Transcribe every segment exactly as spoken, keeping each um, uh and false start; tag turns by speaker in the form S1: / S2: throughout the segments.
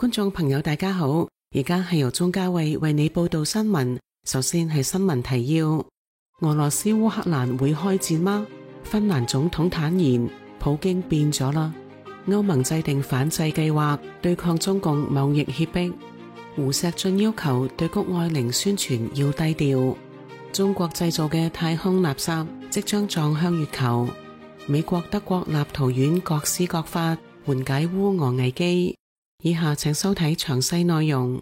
S1: 觀眾朋友大家好，而家係由鍾嘉慧為你報道新聞。首先係新聞提要：俄羅斯烏克蘭會開戰嗎？芬蘭總統坦言，普京變咗啦。歐盟制定反制計劃對抗中共貿易脅迫。胡錫進要求對谷愛凌宣傳要低調。中國製造嘅太空垃圾即將撞向月球。美國、德國立陶宛各施各法緩解烏俄危機。以下請收睇詳細內容。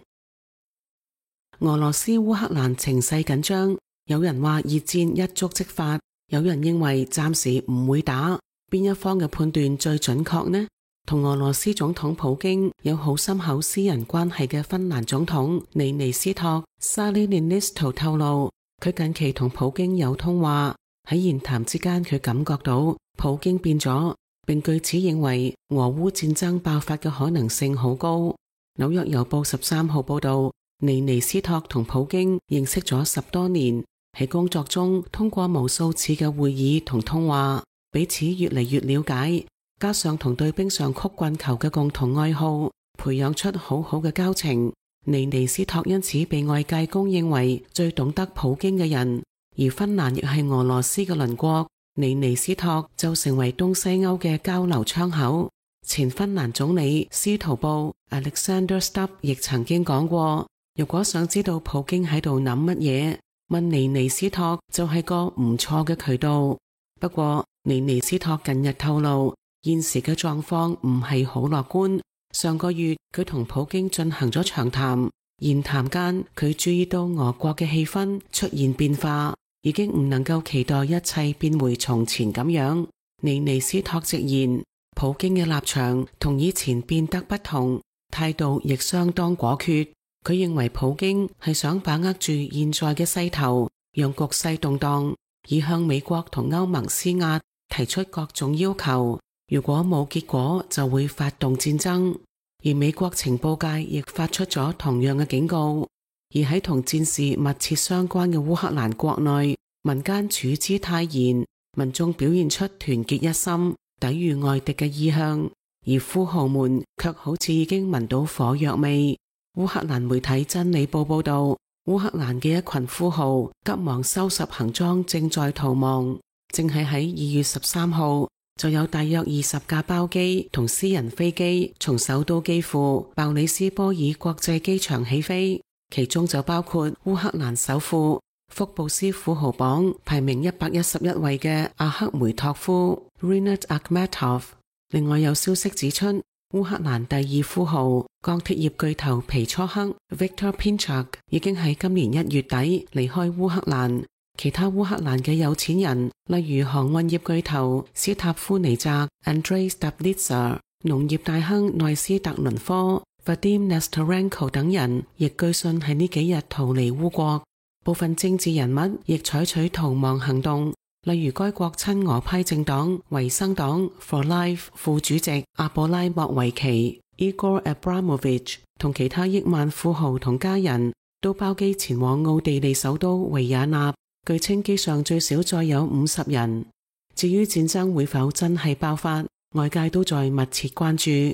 S1: 俄羅斯烏克蘭情勢緊張，有人話熱戰一觸即發，有人認為暫時唔會打。邊一方嘅判斷最準確呢？同俄羅斯總統普京有好深厚私人關係嘅芬蘭總統尼尼斯托 Sauli Niinisto 透露，佢近期同普京有通話，喺言談之間佢感覺到普京變咗，並據此認為俄烏戰爭爆發嘅可能性好高。紐約郵報十三號報道，尼尼斯托同普京認識咗十多年，喺工作中通過無數次嘅會議同通話，彼此越嚟越了解，加上同對冰上曲棍球嘅共同愛好，培養出好好嘅交情。尼尼斯托因此被外界公認為最懂得普京嘅人，而芬蘭亦係俄羅斯嘅鄰國。尼尼斯托就成為東西歐嘅交流窗口。前芬蘭總理司徒布 Alexander Stubb 亦曾經講過，如果想知道普京喺度諗乜嘢，問尼尼斯托就係個唔錯嘅渠道。不過尼尼斯托近日透露，現時嘅狀況唔係好樂觀。上個月佢同普京進行咗長談，言談間佢注意到俄國嘅氣氛出現變化，已經唔能夠期待一切變回從前咁樣。尼尼斯托直言，普京嘅立場同以前變得不同，態度亦相當果決。佢認為普京係想把握住現在嘅勢頭，讓局勢動盪，以向美國同歐盟施壓，提出各種要求。如果冇結果，就會發動戰爭。而美國情報界亦發出咗同樣嘅警告。而喺同戰事密切相關嘅烏克蘭國內，民間處之泰然，民眾表現出團結一心，抵禦外敵嘅意向，而富豪們卻好似已經聞到火藥味。烏克蘭媒體真理報報道，烏克蘭嘅一群富豪急忙收拾行裝，正在逃亡。正係喺二月十三號，就有大約二十架包機同私人飛機從首都基輔鮑里斯波爾國際機場起飛，其中就包括烏克蘭首富、福布斯富豪榜排名一百一十一位嘅阿克梅托夫 Rinat Akhmetov。另外有消息指出，烏克蘭第二富豪鋼鐵業巨頭皮楚克 Viktor Pinchuk 已經喺今年一月底離開烏克蘭。其他烏克蘭嘅有錢人，例如航運業巨頭斯塔夫尼澤 Andrei Stabilitsa、農業大亨內斯特倫科 Vadim Nestorenko 等人，亦據信喺呢幾日逃離烏國。部分政治人物亦採取逃亡行動，例如該國親俄派政黨維生黨 For Life 副主席阿布拉莫維奇 Igor Abramovich 同其他億萬富豪同家人都包機前往奧地利首都維也納。據稱機上最少載有五十人。至於戰爭會否真係爆發，外界都在密切關注。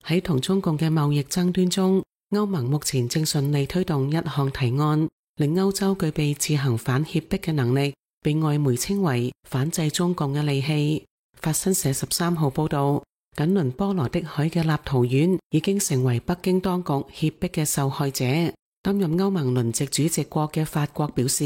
S1: 喺同中共嘅貿易爭端中，歐盟目前正順利推動一項提案，令歐洲具備自行反脅迫嘅能力，被外媒稱為反制中共嘅利器。法新社十三號報道，緊鄰波羅的海嘅立陶宛已經成為北京當局脅迫嘅受害者。擔任歐盟輪值主席國嘅法國表示，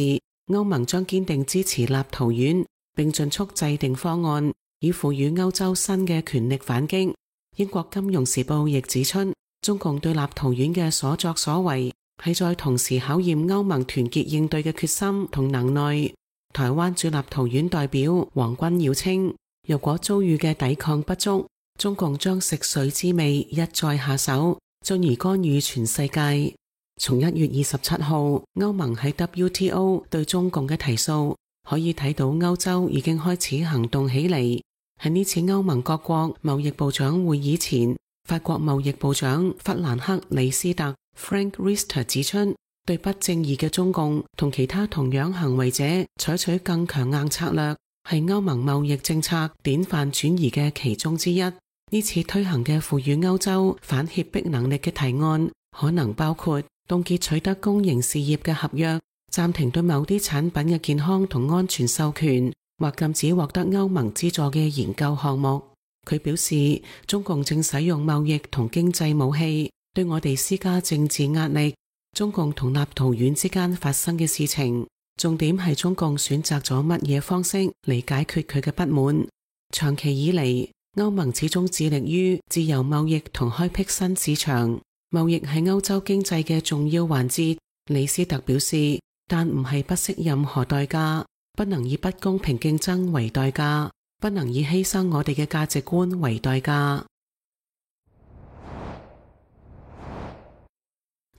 S1: 歐盟將堅定支持立陶宛，並盡速制定方案，以賦予歐洲新嘅權力反擊。英國金融時報亦指出，中共對立陶宛嘅所作所為係在同時考驗歐盟團結應對嘅決心同能耐。台灣駐立陶宛代表黃君耀稱，如果遭遇嘅抵抗不足，中共將食髓知味，一再下手，進而干預全世界。從一月二十七號歐盟喺 W T O 對中共嘅提訴，可以睇到歐洲已經開始行動起嚟。喺呢次歐盟各國貿易部長會議前，法國貿易部長弗蘭克里斯特 Frank Riester 指出，對不正義嘅中共同其他同樣行為者採取更強硬策略，係歐盟貿易政策典範轉移嘅其中之一。呢次推行嘅賦予歐洲反脅迫能力嘅提案，可能包括凍結取得公營事業嘅合約，暫停對某啲產品嘅健康同安全授權，或禁止獲得歐盟資助嘅研究項目。佢表示，中共正使用貿易同經濟武器對我哋施加政治壓力。中共同立陶宛之間發生嘅事情，重點係中共選擇咗乜嘢方式嚟解決佢嘅不滿。長期以嚟，歐盟始終致力於自由貿易同開闢新市場。貿易係歐洲經濟嘅重要環節，李斯特表示，但唔係不惜任何代價，不能以不公平競爭為代價，不能以犧牲我哋嘅價值觀為代價。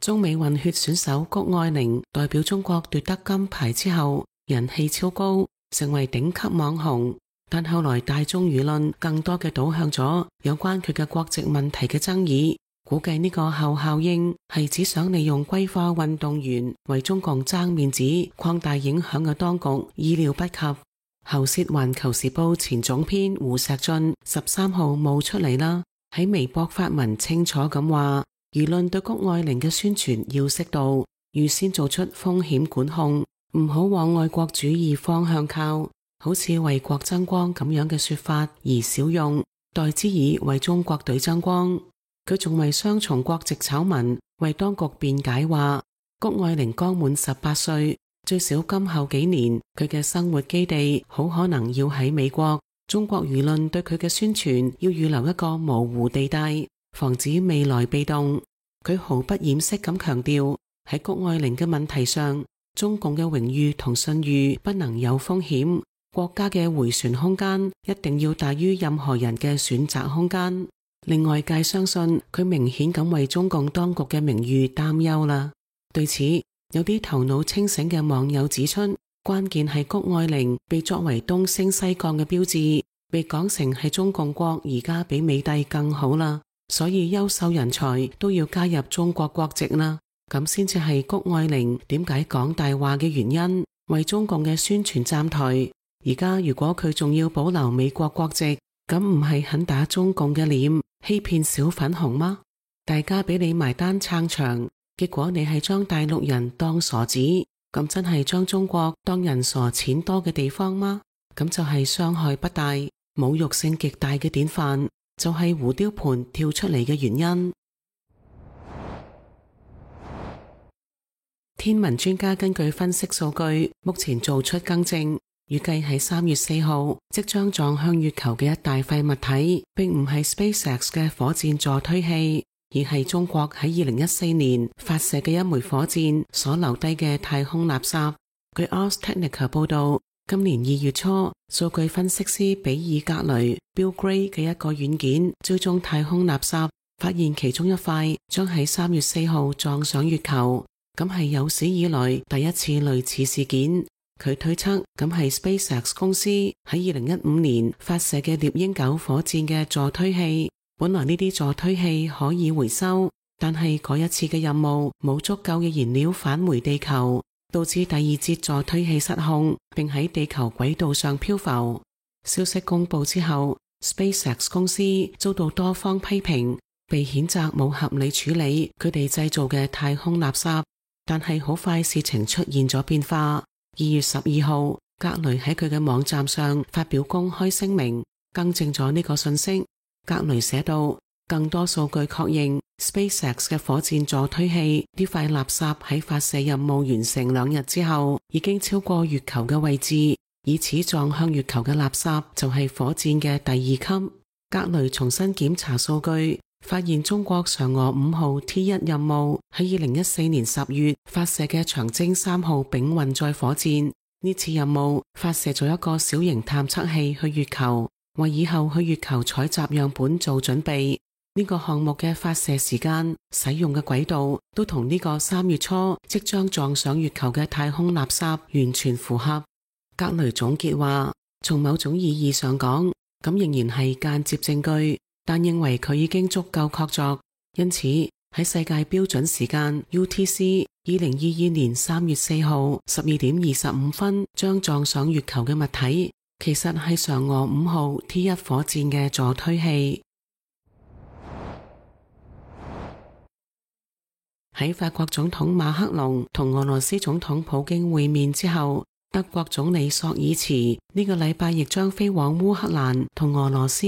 S1: 中美混血選手谷愛凌代表中國奪得金牌之後，人氣超高，成為頂級網紅。但後來大眾輿論更多嘅倒向咗有關佢嘅國籍問題嘅爭議，估計呢個後效應係只想利用歸化運動員為中共爭面子、擴大影響嘅當局意料不及。喉舌環球時報前總編胡錫進十三號冒出嚟啦，喺微博發文清楚咁話，輿論對谷愛凌嘅宣傳要適度，預先做出風險管控，唔好往愛國主義方向靠，好似為國爭光咁樣嘅說法而少用，代之以為中國隊爭光。佢仲為雙重國籍醜聞為當局辯解話，谷愛凌剛滿十八歲，最少今後幾年佢嘅生活基地好可能要喺美國，中國輿論對佢嘅宣傳要預留一個模糊地帶，防止未來被動。佢毫不掩飾咁強調，喺谷愛凌嘅問題上，中共嘅榮譽同信譽不能有風險，國家嘅迴旋空間一定要大於任何人嘅選擇空間。令外界相信佢明顯咁為中共當局嘅名譽擔憂啦。對此，有啲頭腦清醒嘅網友指出，關鍵係谷愛凌被作為東升西降嘅標誌，被講成係中共國而家比美帝更好啦，所以優秀人才都要加入中國國籍啦，咁先至係谷愛凌點解講大話嘅原因，為中共嘅宣傳站台。而家如果佢仲要保留美國國籍，咁唔係很打中共嘅臉，欺騙小粉紅嗎？大家俾你埋單撐場，結果你係將大陸人當傻子，咁真係將中國當人傻錢多嘅地方嗎？咁就係傷害不大、侮辱性極大嘅典範，就係胡雕盤跳出嚟嘅原因。天文專家根據分析數據，目前做出更正，預計喺三月四號即將撞向月球嘅一大塊物體，並唔係 SpaceX 嘅火箭助推器，而係中國喺二零一四年發射嘅一枚火箭所留低嘅太空垃圾。據 Ars Technica 報道，今年二月初，數據分析師比爾格雷 Bill Gray 嘅一個軟件追蹤太空垃圾，發現其中一塊將喺三月四號撞上月球，咁係有史以來第一次類似事件。佢推測咁係 SpaceX 公司喺二零一五年發射嘅獵鷹九火箭嘅助推器。本來呢啲助推器可以回收，但係嗰一次嘅任務冇足夠嘅燃料返回地球，導致第二節助推器失控，並喺地球軌道上漂浮。消息公布之後， SpaceX 公司遭到多方批評，被譴責冇合理處理佢哋製造嘅太空垃圾。但係好快事情出現咗變化。二月十二號，格雷喺佢嘅網站上發表公開聲明，更正咗呢個信息。格雷寫道，更多數據確認 SpaceX 嘅火箭助推器呢塊垃圾喺發射任務完成兩日之後，已經超過月球嘅位置，以此撞向月球嘅垃圾就係火箭嘅第二級。格雷重新檢查數據，發現中國嫦娥五號 T 一任務喺二零一四年十月發射嘅長征三號丙運載火箭，呢次任務發射咗一個小型探測器去月球，為以後去月球採集樣本做準備。呢個項目嘅發射時間、使用嘅軌道都同呢個三月初即將撞上月球嘅太空垃圾完全符合。格雷總結話，從某種意義上講，咁仍然係間接證據，但認為佢已經足夠確鑿，因此喺世界標準時間 U T C 二零二二年三月四號十二點二十五分將撞上月球嘅物體，其實係嫦娥五號 T 一火箭嘅助推器。喺法國總統馬克龍同俄羅斯總統普京會面之後，德國總理朔爾茨呢個禮拜亦將飛往烏克蘭同俄羅斯，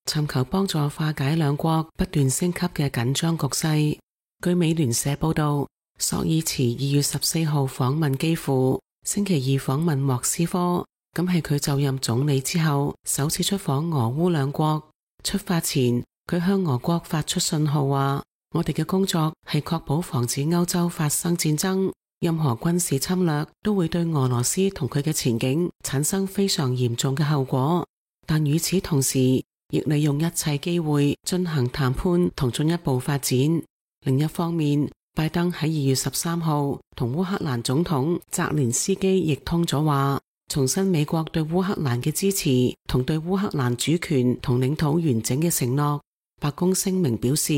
S1: 尋求幫助化解兩國不斷升級嘅緊張局勢。據美聯社報道，朔爾茨二月十四號訪問基輔，星期二訪問莫斯科，咁係佢就任總理之後首次出訪俄烏兩國。出發前，佢向俄國發出信號話，我哋嘅工作係確保防止歐洲發生戰爭，任何軍事侵略都會對俄羅斯同佢嘅前景產生非常嚴重嘅後果。但與此同時，亦利用一切機會進行談判同進一步發展。另一方面，拜登喺二月十三號同烏克蘭總統澤連斯基亦通咗話，重申美國對烏克蘭嘅支持同對烏克蘭主權同領土完整嘅承諾。白宮聲明表示，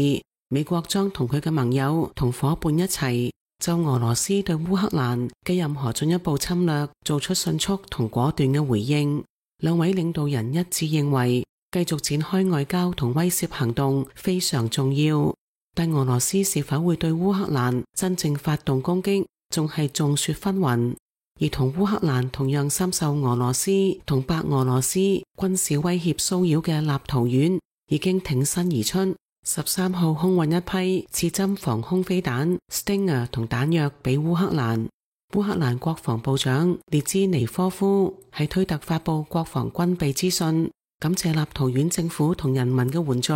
S1: 美國將同佢嘅盟友同夥伴一齊，就俄羅斯對烏克蘭嘅任何進一步侵略做出迅速同果斷嘅回應。兩位領導人一致認為，繼續展開外交同威懾行動非常重要，但俄羅斯是否會對烏克蘭真正發動攻擊，仲係眾說紛紜。而同烏克蘭同樣深受俄羅斯同白俄羅斯軍事威脅騷擾嘅立陶宛已經挺身而出，十三號空運一批刺針防空飛彈 Stinger 同彈藥俾烏克蘭。烏克蘭國防部長列茲尼科夫喺推特發布國防軍備資訊，感謝立陶宛政府同人民嘅援助，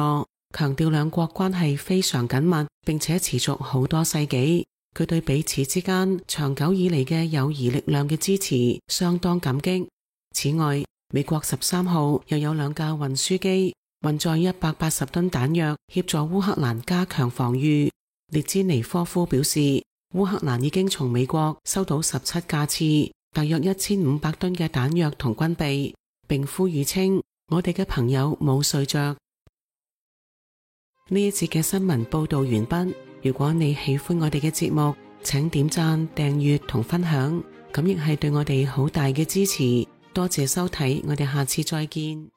S1: 強調兩國關係非常緊密，並且持續好多世紀。佢對彼此之間長久以嚟嘅友誼力量嘅支持相當感激。此外，美國十三號又有兩架運輸機運載一百八十噸彈藥，協助烏克蘭加強防禦。列茲尼科夫表示，烏克蘭已經從美國收到十七架次，大約一千五百噸嘅彈藥同軍備，並呼籲稱，我哋嘅朋友冇睡着。呢一節嘅新聞報道完畢。如果你喜歡我哋嘅節目，請點讚、訂閱同分享，咁亦係對我哋好大嘅支持。多謝收睇，我哋下次再見。